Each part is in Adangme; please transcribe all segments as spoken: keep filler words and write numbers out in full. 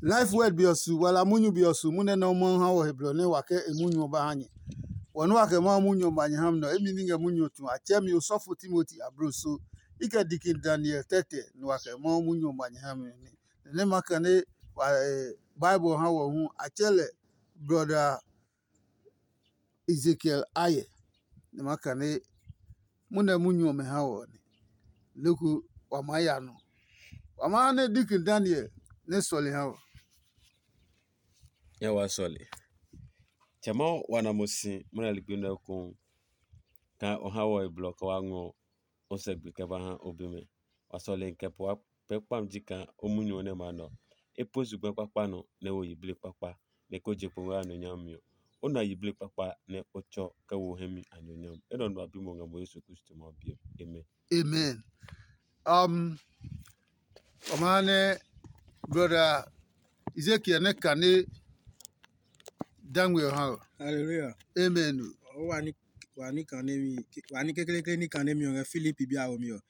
Life Word be ɔ su, wala munyu be ɔ su, munɛ nɛ ɔ Mawu ha wɔ he blɔ nɛ wa kɛ e munyu ɔ ba ha nyɛ. Wɔ nɛ wa kɛ Mawu munyu ɔ ba nyɛ ha mi nɛ ɔ, emi ní ngɛ munyu ɔ tsu a tsɛ mi osɔfo Timoti abloso. I kɛ Dikin Daniel tɛtɛ nɛ wa kɛ Mawu munyu ɔ ba nyɛ ha mi nɛ. Nɛ ma kane wa Bible ha wɔ hu a tsɛ lɛ brɔda Ezekiel ayɛ, nɛ ma kane munɛ munyu ɔmɛ ha wɔ ɔ nɛ. Loko wa maa ya nɔ. Wa maa ha nɛ Dikin Daniel nɛ sɔle ha wɔ. Nyɛ wa sɔle. Tsɛ Mawu wa na mo si munɛ ligbi nɛ ɔ kaa o ha wɔ e blɔ kɛ wa ngɔ o sɛ gbi kɛ ba ha o bimɛ. Wa sɔle kɛ po wa pɛ kpami ji kaa o munyu ɔ nɛ ma nɔ. E po zugba kpakpa nɔ nɛ wo yiblii kpakpa, nɛ ko je kpo ngɛ anɔnyami ɔ. O na yiblii kpakpa nɛ o tsɔ kɛ wo hɛ mi anɔnyami. Enɛ ɔ nɔ a bi mo ngɛ mo Yesu Kristo ma biɛ. Amen. Amen. Um, ɔma nɛ brother Ezekiel nɛ kane dangwe ɔ ha ɔ. Hallelujah. Amen. O wa ni wa ni kane mi wa ni keklekle ni kane mi ɔ ngɛ Filipi bi a mi ɔ.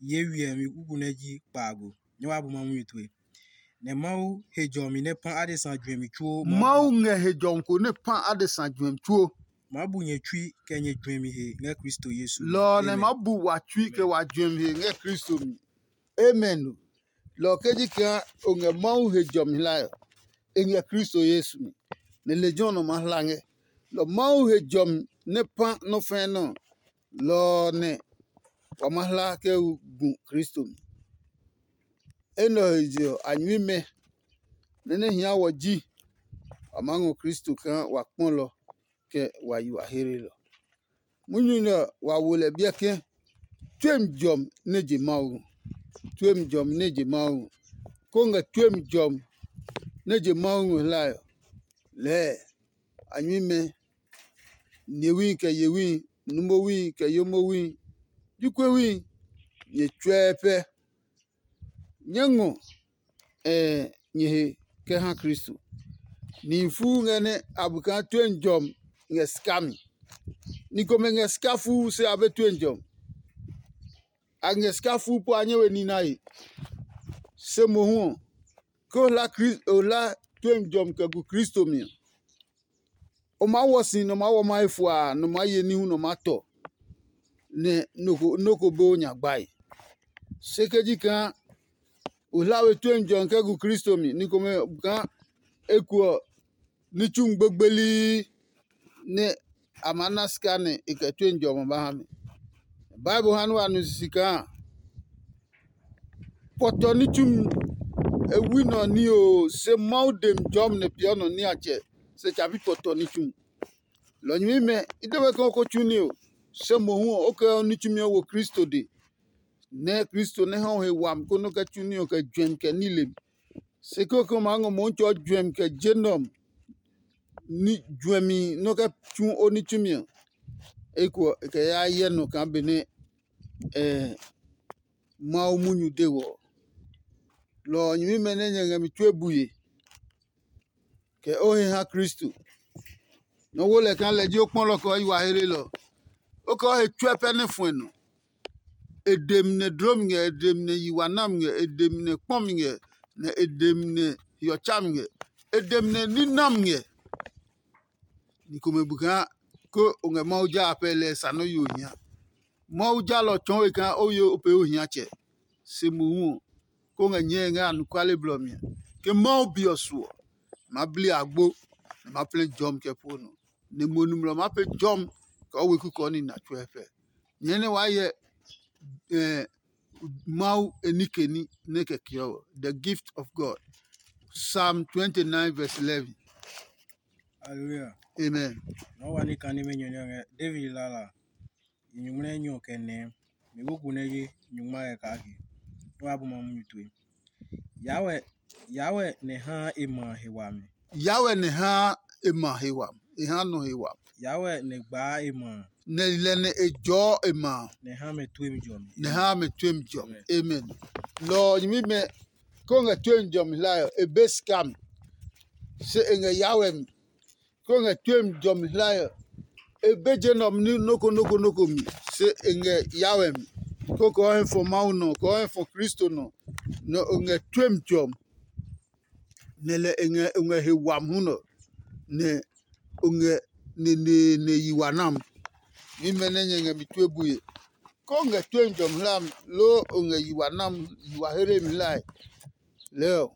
Ye wiɛ mi kuku nɛ ji kpaago. Nyɛ wa bu ma munyu tue. Nɛ Mawu he jɔmi nɛ pã adesa juɛmi tsuo. Mawu ngɛ he jɔmi ko nɛ pã adesa juɛmi tsuo. Ma bu nyɛ tsui kɛ nyɛ juɛmi he ngɛ Kristo Yesu. Lɔ ɔ nɛ ma bu wa tsui kɛ wa juɛmi he ngɛ Kristo mi. Amen. Lɔ ɔ ke ji kaa o ngɛ Mawu he jɔmi hlae ɔ, e ngɛ Kristo Yesu mi, nɛ lejɛ ɔ nɔ maa hla ngɛ. Lɔ Mawu he jɔmi nɛ pã nɔ́ fɛɛ nɔ ɔ, lɔ ɔ nɛ wa maa hla kɛ gu Kristo mi. Enɛ ɔ he je ɔ, a nyuimɛ nɛ nɛ hia wɔ ji wa maa ngɔ Kristo kaa wa kpɔlɔ kɛ wa yi wa heelelɔ. Munyu nɛ ɔ, wa wo lɛ biɛ ke tsuemi jɔmi nɛ je Mawu. Tsuemi jɔmi nɛ je Mawu. Kó ngɛ tsuemi jɔmi nɛ je Mawu ngɔ hlae ɔ, lɛɛ a nyuimɛ, nihewi kɛ yewi, numowi kɛ yomowi, jokuɛwi, nyɛ tsuɛ pɛ. Nyɛ ngɔ nyɛ he kɛ ha Kristo. Nihi fuu ngɛ nɛ a bu kaa tue jɔmi ngɛ sika mi. Ni komɛ ngɛ sika fuu se a be tue jɔmi. A ngɛ sika fuu po a nyɛ we ninae. Se mohu ɔ, ke o hla Kri- o hla tue jɔmi kɛ gu Kristo mi ɔ, o maa wɔ si nɛ o maa wɔ mahe fua nɛ o maa ye ní hu nɛ o maa tɔ, nɛ nɔ ko nɔ ko be o nya gbae. Se ke ji kaa o hla we tue jɔmi kɛ gu Kristo mi, ni komɛ kaa eko ɔ ní tsu ngbe gbelii nɛ a maa na sika nɛ e kɛ tue jɔmi ɔ ba ha mi. Bible ha nɛ wa nu sisi kaa pɔtɔ ní tsumi e wi nɔ ní oo, se Mawu dem jɔmi nɛ peeɔ nɔ niatsɛ, se tsa pi pɔtɔ ní tsumi. Lɔ nyɛmimɛ, i de we ke o ko tsu ní o, se mohu ɔ, o kɛ ɔ ní tsumi ɔ wo Kristo de, nɛ Kristo nɛ ha o he wami konɛ o kɛ tsu ní ɔ kɛ juɛmi kɛ nilemi. Se kikɛ o maa ngɔ Mɔmitsɛ ɔ juɛmi kɛ je nɛ ɔ ní juɛmi nɛ o kɛ tsu o ní tsumi ɔ, eko ɔ, e kɛ yaa hyɛ nɔ kaa benɛ Mawu munyu de wɔ ɔ. Lɔ ɔ nyɛmimɛ nɛ nyɛ ngɛ mi tue bue, kɛ o he ha Kristo, nɛ o wo lɛ kaa lɛ ji o kpɔlɔ kɛ o yi wa helelɔ. O kɛ o he tsuɛ pɛ nɛ fuɛ nɔ. E de mi nɛ dlo mi ngɛ, e de mi nɛ yi wa na mi ngɛ, e de mi nɛ kpɔ mi ngɛ, nɛ e de mi nɛ hiɔ tsa mi ngɛ, e de mi nɛ ní na mi ngɛ. Ni komɛ bu kaa ke o ngɛ Mawu ja a pɛ lɛ sa nɔ́ yo ohia. Mawu jalɔ tsɔɔ we kaa o yo o pee ohiatsɛ. Se mohu ɔ, ko ngɛ nyɛe ngɛ anɔkuale blɔ mi ɔ, ke Mawu Bi ɔ su ɔ, ma bli agbo, nɛ ma plɛ jɔmi kɛ po nɔ, nɛ mo nɔmlɔ maa pee jɔmi kɛ o weku kɛ o nina tsuɛ pɛ. Nyɛɛ nɛ waa hyɛ Mawu e nikeni nɛ kɛ keɔ ɔ, the gift of God. Psalm twenty-nine verse eleven. Hallelujah. Amen. Nɔ wa ni kani me nyɔ nyɔ ngɛ David lala. Nyuŋmlɛ nyɔ kɛ nɛ. Me woku nɛ ye nyuŋma kɛ kake. Nɔ wa bu ma munyu tue. Yawɛ yawɛ nɛ ha e ma he wami. Yawɛ nɛ ha e ma he wami. E ha nɔ he wami. Yawɛ nɛ gbaa e ma. Nɛ lɛ nɛ e jɔɔ e ma. Nɛ ha mɛ tue mi jɔmi. Nɛ ha mɛ tue mi jɔmi. Amen. Lɔ ɔ nyɛmimɛ ko ngɛ tue mi jɔmi hlae ɔ, e be sika mi, se e ngɛ yawɛ mi. Ko ngɛ tue mi jɔmi hlae ɔ, e be je nɛ ɔ mi nɔ́ ko nɔ́ ko nɔ́ ko mi, se e ngɛ yawɛ mi. Koko ɔ hɛ fɔ Mawu nɔ, kɛ ɔ hɛ fɔ Kristo nɔ, nɛ o ngɛ tue mi jɔmi. nɛ lɛ e ngɛ o ngɛ he wami hu nɔ, nɛ o ngɛ neneene yi wa nam. Imi nɛ nyɛ ngɛ mi tue bue, ke o ngɛ tue mi jɔmi hlae loo o ngɛ yi wa nam, yi wa hlemi hlae, lɛɛ ɔ,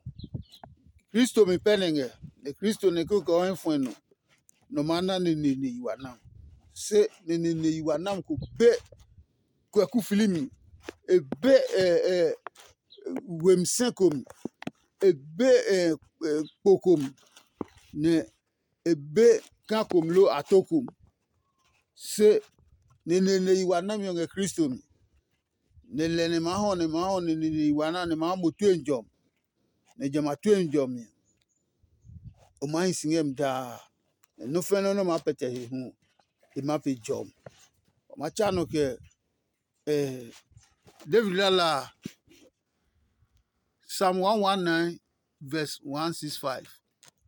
Kristo mi pɛ nɛ ngɛ, nɛ Kristo nɛ kikɛ ɔ hɛ fɔ̃e nɔ, nɔ maa na neneene yi wa nam. Se neneene yi wa nam ko be kuɛku fili mi, e be wemisɛ ko mi, e be kpo ko mi, nɛ e be kaa ko mi loo ato ko mi. Se neneene yi wa nami ɔ ngɛ Kristo mi, nɛ lɛ nɛ maa hɔ nɛ maa hɔ neneene yi wa na nɛ maa mo tue jɔmi, nɛ jamɛ a tue jɔmi ɔ, o maa hi si ngɛ mi daa. Nɛ nɔ́ fɛnɛ nɔ́ maa pɛtɛ he hu ɔ, e maa pe jɔmi. O ma tsa nɔ kɛ David lala a, Psalm one one nine verse one six five.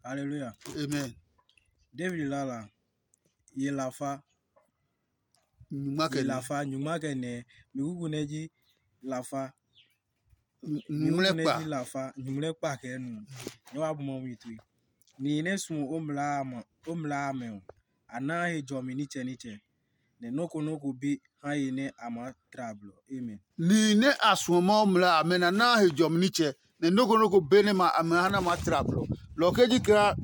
Hallelujah. Amen. David lala, ye lafa, nyuma kɛ ye ne. Lafa, nyuma kɛ nɛ, mi kuku nɛ ji lafa. Nyumlɛ kpa. Nyumlɛ kpa kɛ nu. Nyɛ wa bu mɔ mi tui. Ni nɛ suɔ o mlaa amɛ ɔ, a naa he jɔmi nitsɛ nitsɛ, nɛ nɔ́ ko nɔ́ ko be ha ye nɛ a maa tra blɔ. Amen. Nihi nɛ a suɔ Mawu mlaa a, mɛ na naa he jɔmi nitsɛ, nɛ nɔ́ ko nɔ́ ko be nɛ ma a mɛ ha nɛ a maa tra blɔ. Lɔ ɔ ke ji kaa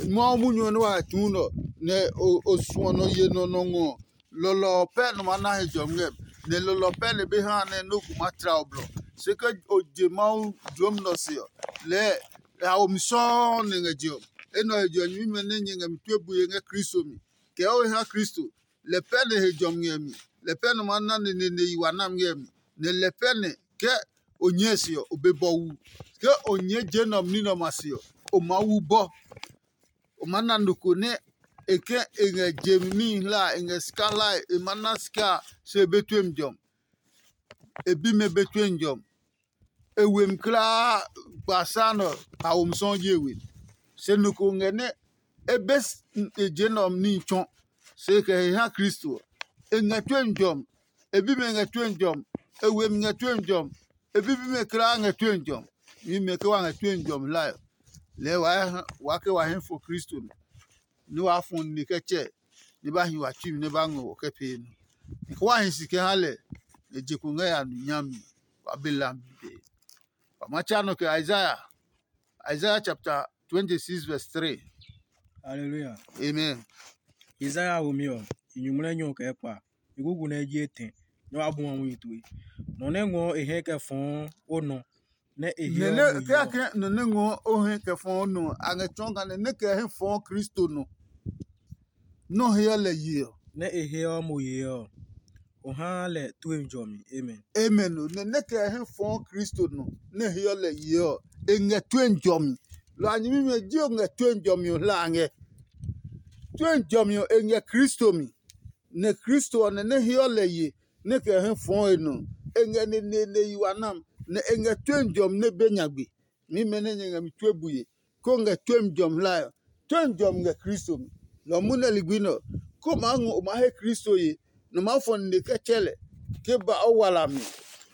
Mawu munyu ɔ nɛ wa ngɛ tuu nɛ ɔ, nɛ o suɔ nɔ ye nɔ nɔ ngɔ ɔ, lɔlɔ ɔ pɛ nɔ maa na he jɔmi ngɛ mi, nɛ lɔlɔ ɔ pɛ nɛ be ha nɛ nɔ́ ko maa tra o blɔ. Se ke o je Mawu juɛmi nɛ ɔ se ɔ, lɛɛ a ho mi sɔuu nɛ ngɛ je ɔ. Enɛ ɔ he je ɔ, nyɛmimɛ nɛ nyɛ ngɛ mi tue bue ngɛ Kristo mi, kɛ o he ha Kristo, lɛ pɛ nɛ he jɔmi ngɛ mi, lɛ pɛ nɔ maa na neneene yi wa nami ngɛ mi, nɛ lɛ pɛ nɛ ke o nyɛɛ se ɔ, o be bɔ wu. Ke o nyɛɛ je nɛ ɔ mi ní nɛ ɔmɛ a se ɔ, o maa wu bɔ. O maa na nɔ ko nɛ e ke e ngɛ je mi níhi hlae, e ngɛ sika hlae, e ma na sika a, se e be tue mi jɔmi. E bimɛ be tue mi jɔmi. E we mi kulaa kpa sa nɛ ɔ, a wo mi sɔuu ji e we mi. Se nɔ ko ngɛ nɛ e be e je nɛ ɔ níhi tsɔ, se e kɛ he ha Kristo ɔ, e ngɛ tue mi jɔmi. E bimɛ ngɛ tue mi jɔmi. E we mi ngɛ tue mi jɔmi. E bimɛ kulaa ngɛ tue mi jɔmi. Nyɛmimɛ ke wa ngɛ tue mi jɔmi hlae ɔ, lɛɛ waa ke wa hɛ fɔ Kristo nɔ, nɛ waa fɔ nine kɛ tsɛ, nɛ ba hi wa tsui mi nɛ ba ngɔ wɔ kɛ pee nɔ. Nɛ ke wa hi si kɛ ha lɛ, nɛ je ko ngɛ ya nu nyami, wa be hlami be. Wa ma tsa nɔ kɛ Isaiah, Isaiah chapter twenty-six verse three. Hallelujah. Amen. Isaiah womi ɔ, i nyuŋmlɛ nyɔ kɛ kpa, i kuku nɛ ji etɛ, nɛ wa bu ɔ hu i tue. Nɔ nɛ ngɔɔ e hɛ kɛ fɔɔ o nɔ, nɛ e he ɔ mo yi ɔ. Kɛkɛ nɔ nɛ ngɔɔ o hɛ kɛ fɔɔ o nɔ, a ngɛ tsɔɔ kaa nɛ nɛ kɛ hɛ fɔɔ Kristo nɔ, nɛ o heɔ lɛ ye ɔ. Nɛ e he ɔ mo ye ɔ, o haa lɛ tue jɔmi. Amen. Amen o. Nɛ nɛ kɛ hɛ fɔɔ Kristo nɔ, nɛ e heɔ lɛ ye ɔ, e ngɛ tue jɔmi. Lɔ a nyɛmimɛ ji o ngɛ tue jɔmi ɔ hla a ngɛ. Tue jɔmi ɔ, e ngɛ Kristo mi, nɛ Kristo ɔ nɛ nɛ heɔ lɛ ye nɛ kɛ hɛ fɔɔ e nɔ, e ngɛ neneene yi wa nam, nɛ e ngɛ tue jɔmi nɛ be nyagbe. Mimɛ nɛ nyɛ ngɛ mi tue bue, ko ngɛ tue mi jɔmi hlae ɔ, tue mi jɔmi ngɛ Kristo mi. Lɔ mohu nɛ ligbi nɛ ɔ, ko maa ngɔ o maa he Kristo ye, nɔ maa fɔ nine kɛ tsɛ lɛ, ke ba o wala mi.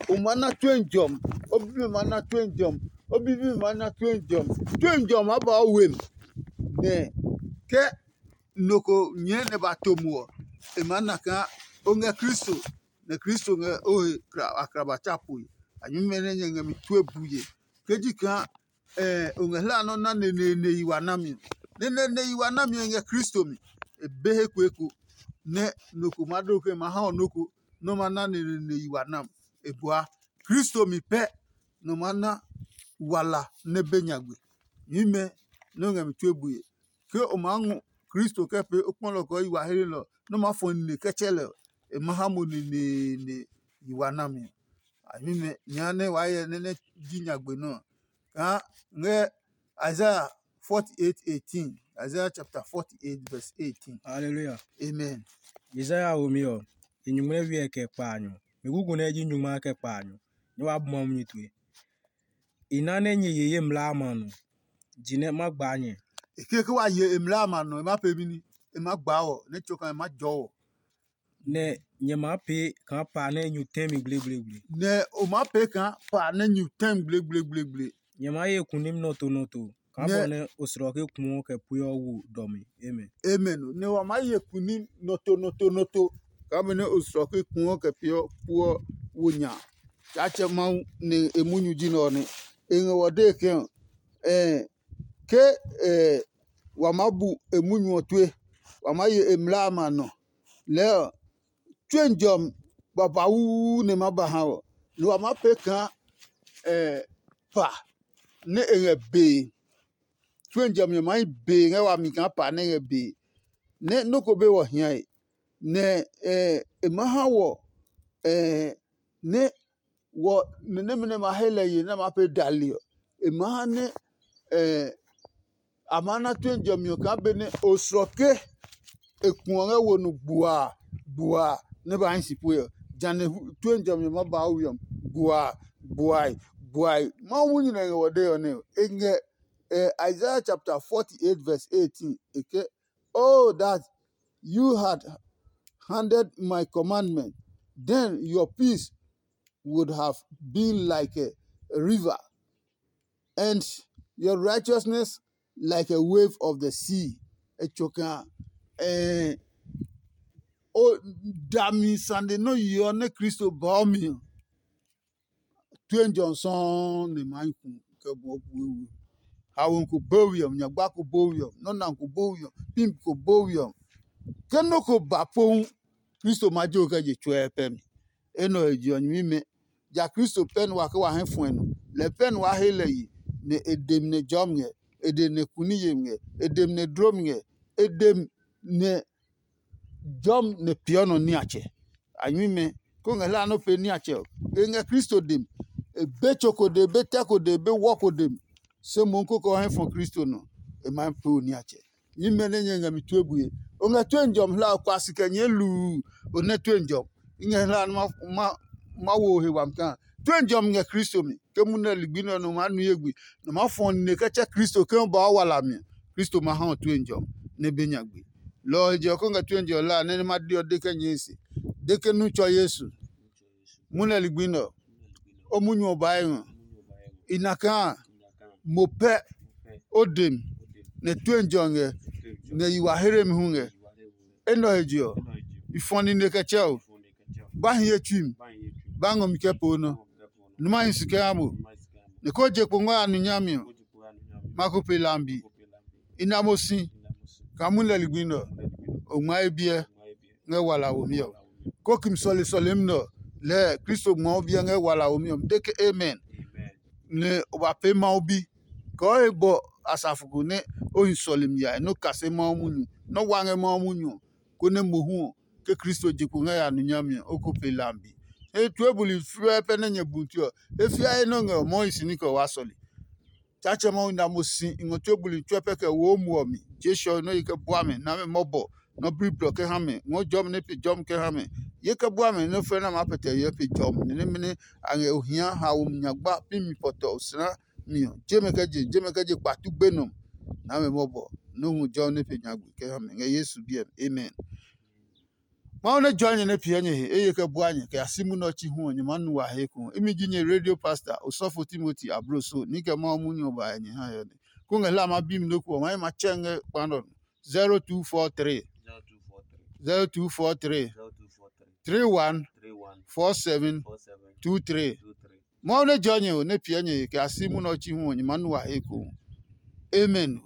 O maa na tue mi jɔmi, o bimɛ maa na tue mi jɔmi, o bibi maa na tue mi jɔmi. Tue mi jɔmi maa ba o we mi. Nɛ ke nɔ ko nyɛɛ nɛ ba to mo ɔ, e maa na kaa o ngɛ Kristo, nɛ Kristo ngɛ o he akraba tsa poe. A nyɛmimɛ nɛ nyɛ ngɛ mi tue bue, ke ji kaa o ngɛ hlaa nɔ́ na neneene yi wa nami ɔ. Neneene yi wa nami ɔ ngɛ Kristo mi. E be he ko eko nɛ nɔ ko maa do ke ma ha ɔ nɔ́ ko nɛ o ma na neneene yi wa nam. E bua Kristo mi pɛ nɔ maa na wala nɛ be nyagbe. Nyɛmimɛ nɛ o ngɛ mi tue bue. Ke o maa ngɔ Kristo kɛ pee o kpɔlɔ kɛ o yi wa hlelɔ nɛ o maa fɔ nine kɛ tsɛ lɛ ɔ, e ma ha mo neneene yi wa nami ɔ. A nyɛmimɛ nya nɛ waa hyɛ nɛ nɛ ji nyagbe nɔ́ ɔ. Kaa ngɛ Isaiah forty-eight eighteen. Isaiah chapter forty-eight verse eighteen. Hallelujah. Amen. Isaiah womi ɔ, e nyuŋmlɛ wiɛ kɛ kpaanyɔ. Mi kuku nɛ ji nyuŋma kɛ kpaanyɔ. Nyɛ wa bu mamu nyi tue. I na nɛ nyɛ ye ye mlaa ma nɔ, jinɛ ma gbaa nyɛ. E ke ke wa ye e mlaa ma nɔ, e ma pee mɛni? E ma gbaa wɔ, nɛ tso kaa e ma jɔɔ wɔ. Nɛ nyɛ maa pee kaa pa nɛ nyu tɛ mi gblegbleegble. Nɛ o maa pee kaa pa nɛ nyu tɛ mi gblegbleegble. Nyɛ maa ye kunim nɔto nɔto. Kaa bɔ nɛ osrɔke kuɔ kɛ pueɔ wo dɔ mi. Amen. Amen. Nɛ wa maa ye kunim nɔto nɔto nɔto. Kaa bɔ nɛ osrɔke kuɔ kɛ pueɔ nya. Tsaatsɛ Mawu nɛ e munyu ji nɛ ɔ nɛ. E ngɛ wɔ dee ke ke wa maa bu e munyu ɔ tue, wa maa ye e mlaa a ma nɔ. Lɛɛ ɔ, tue jɔmi babauu nɛ ma ba ha wɔ, nɛ wa maa pee kaa pa nɛ e ngɛ bee. Tue jɔmi ɔ maa hi bee ngɛ wami kaa pa nɛ e ngɛ bee, nɛ nɔ́ ko be wɔ hiae, nɛ e ma ha wɔ nɛ wɔ nɛ nɛmɛ nɛ ma he lɛ ye nɛ ma pee dali ɔ, e ma ha nɛ a maa na tue jɔmi ɔ kaa benɛ osrɔke e kuɔ ngɛ wo nɔ gbuaa gbuaa nɛ ba hi si pue ɔ, jane tue jɔmi ɔ ma ba o we ɔ gbuaa gbuai gbuai. Mawu munyu nɛ ngɛ wɔ dee ɔ nɛ ɔ. E ngɛ Isaiah chapter forty-eight verse eighteen, e ke, "Oh, that you had handed my commandment, then your peace would have been like a river, and your righteousness like a wave of the sea." Etsɔ kaa, eh, o dami sane nɔ yeɔ nɛ Kristo ba ɔ mi ɔ, tue jɔ sɔɔ nɛ ma yi ku kɛ bɔ bue we. Hawo ko bo we ɔ, nyagba ko bo we ɔ, nɔ́ na ko bo we ɔ, pimpi ko bo we ɔ, ke nɔ́ ko ba pohu, Kristo ma jo kɛ je tsuɛ pɛ mi. Enɛ ɔ he je ɔ nyɛmimɛ, ja Kristo pɛ nɛ wa ke wa hɛ fuɛ nɔ. Lɛ pɛ nɛ wa he lɛ yi, nɛ e dem nɛ jɔmi ngɛ, e dem nɛ kuni yemi ngɛ, e dem nɛ dlomi ngɛ, e dem nɛ jɔmi nɛ peeɔ nɔ niatsɛ. A nyuimɛ, ko ngɛ hlaa nɔ́ pee niatsɛ ɔ, e ngɛ Kristo dem. E be tso ko de, be tɛ ko de, be wɔ ko dem. Se mohu koko ɔ hɛ fɔ Kristo nɔ, e ma pee o niatsɛ. Nyɛmimɛ nɛ nyɛ ngɛ mi tue bue. O ngɛ tue njɔmi hla ɔ kua si kɛ nyɛɛ luu, o nɛ tue njɔmi. I ngɛ hla nɛ ma, ma, ma wo o he wami kaa tue njɔmi ngɛ Kristo mi. Ke munɛ ligbi nɛ ɔ nɔ maa nu ye gbi, nɔ maa fɔ nine kɛ tsɛ Kristo ke o ba o wala mi ɔ, Kristo ma ha o tue njɔmi nɛ be nyagbe. Lɔ ɔ he je ɔ ko ngɛ tue njɔmi hla a nɛ nɛ ma de ɔ de kɛ nyɛɛ se. De ke nu tsɔ Yesu. Munɛ ligbi nɛ ɔ, o munyu ɔ ba e ngɔ. I na kaa mo pɛ o dem, nɛ tue njɔ ngɛ, nɛ yi wa here mi hu ngɛ. Enɛ ɔ he je ɔ, i fɔ nine kɛ tsɛ o, ba hi ye tsui mi, ba ngɔ mi kɛ po nɔ. Numa hi si kɛ ha mo, nɛ ko je kpo ngɔ ya nu nyami ɔ, ma ko pe lambi. I na mo si kaa munɛ ligbi nɛ ɔ, o ngma ye biɛ ngɛ wala womi ɔ. Ko kimi sɔle sɔlemi nɛ ɔ, lɛɛ Kristo ngmɔ o biɛ ngɛ wala womi ɔ. De ke amen. Nɛ o ba pee Mawu bi. Kɛ o he bɔ asafo ko nɛ o hi sɔlemi yae nɛ o kase Mawu munyu, nɛ o wa ngɛ Mawu munyu ɔ, konɛ mohu ɔ, ke Kristo je kpo ngɛ ya nu nyami ɔ, o ko pe lambi. E tue buli fɛɛ pɛ nɛ nyɛ bu tue ɔ, e fiae nɛ o ngɛ ɔ mɔɔ hi si ní kɛ o wa sɔle. Tsaatsɛ Mawu na mo si i ngɔ tue buli tsuɛ pɛ kɛ wo o muɔ mi. Jesu ɔ nɔ yi kɛ bua mɛ, na mɛ mɔbɔ, nɔ bliblɔ kɛ ha mɛ, ngɔ jɔmi nɛ pe jɔmi kɛ ha mɛ. Ye kɛ bua mɛ nɛ fɛ na maa pɛtɛ hyɛ pe jɔmi nɛ nɛmɛ nɛ a ngɛ ohia haomi nyagba pi mi pɔtɔ osla mi ɔ, je mɛ kɛ je, je mɛ kɛ je kpatu gbenɔ. Na mɛ mɔbɔ, nɔ hu jɔmi nɛ pe nyagbe kɛ ha mɛ ngɛ Yesu biɛ mi. Amen. Mawu nɛ jua nyɛ nɛ piɛ nyɛ he, eye kɛ bua nyɛ kɛ ya si munɛ ɔ chi hu ɔ, nyɛ maa nu wa he eko. Imi ji nyɛ radio pastor, osɔfo Timothy Abroso, ni kɛ Mawu munyu ɔ ba ngɛ nyɛ ha yɔ nɛ. Ko ngɛ hla ma bi mi nɔ́ ko ɔ, ma yi ma tsɛ ngɛ kpa nɔ. zero two four three, zero two four three, three one, four seven, two three. Mawu nɛ jua nyɛ o, nɛ piɛ nyɛ he kɛ ya si munɛ ɔ chi hu ɔ, nyɛ maa nu wa he eko. Amen.